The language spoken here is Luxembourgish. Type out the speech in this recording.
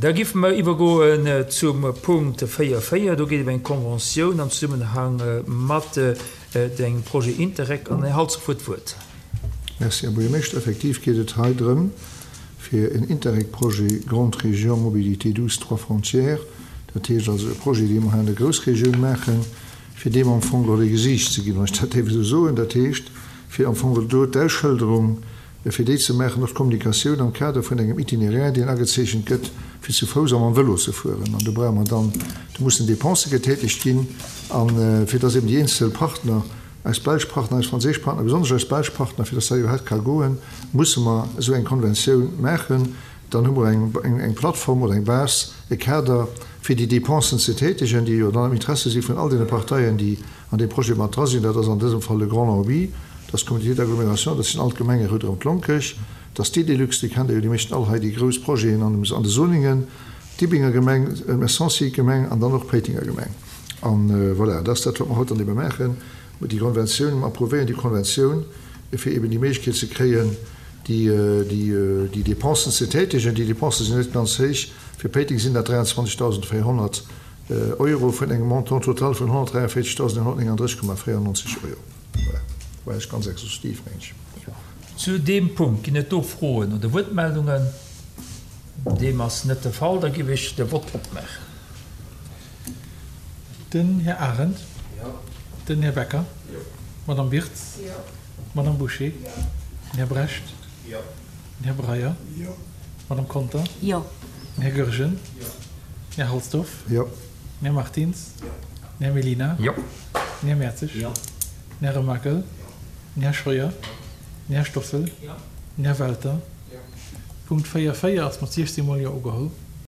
Da giffe mer iwwergoen zum Punkt 4, 4. Do geet et ëm eng Conventioun am Zesummenhang mat engem Projet Interreg. An den Här Halsdorf huet d'Wuert. Merci, Här Buergermeeschter. Effektiv geet et hei drëm, fir en Interreg-Projet Grande Région Mobilité douce Trois Frontières, dat heescht also e Projet, dee mer hei an der Groussregioun maachen, fir deem am Fong geholl e Gesiicht ze ginn, wann ech dat däerf esou soen. Dat heescht, fir am Fong geholl do d'Ausschëlderung, fir déi ze maachen, och d'Kommunikatioun am Kader vun engem Itinéraire, deen agezeechent gëtt, fir zu Fouss a mam Vëlo ze fueren. An do brauche mer dann, do mussen Dépensë getätegt ginn, a fir dass eben déi eenzel Partner, eis belsch Partner, eis franséisch Partner, besonnesch eis belsch Partner, fir dass dat iwwerhaapt ka goen, musse mer esou eng Konventioun maachen. Dann hu mer eng Plattform oder eng Base, e Kader, fir déi Dépensen ze tätegen, déi jo dann am Interesse si vun all deene Parteien, déi an deem Projet mat dra sinn. Dat ass an dësem Fall de Grand Longwy, dat ass d'Communauté d'agglomération, dat sinn all d'Gemenge ronderëm d'Lonkech, dat ass d'Idelux, déi kennt Der jo déi meeschten all hei, déi grouss Projeten an de Soningen, d'Ibinger Gemeng, d'Messancy Gemeng an dann och d'Péitenger Gemeng. An voilà, dat ass dat, wat mer haut dann ebe maachen, déi Konventioun, mer approuvéieren déi Konventioun, fir eben déi Méiglechkeet ze kréien, déi Dépensen ze tätegen. Déi Dépensen sinn net ganz héich. Fir Péiteng sinn dat 23.400 Euro vun engem Montant total vun 143.139,94 Euro. Voilà, war ech ganz exhaustiv, meng ech. Zu deem Punkt ginn et do Froen oder Wuertmeldungen? Deem ass net de Fall. Da géif ech de Vott opmaachen. Den Här Arendt. Jo. Den Här Becker. Jo. D'Madame Wirtz. Jo. D'Madame Bouché. Jo. Den Här Brecht. Jo. Den Här Breyer. Jo. D'Madame Conter. Jo. Den Här Goergen. Jo. Den Här Halsdorf. Jo. Den Här Martins. Jo. Den Här Mellina. Jo. Den Här Mertzig. Jo. Den Här Remakel. Jo. Den Här Scheuer. Jo. Den Här Stoffel. Jo. Den Här Welter. Jo. Punkt 4, 4 ass mat 16 mol Jo ugeholl.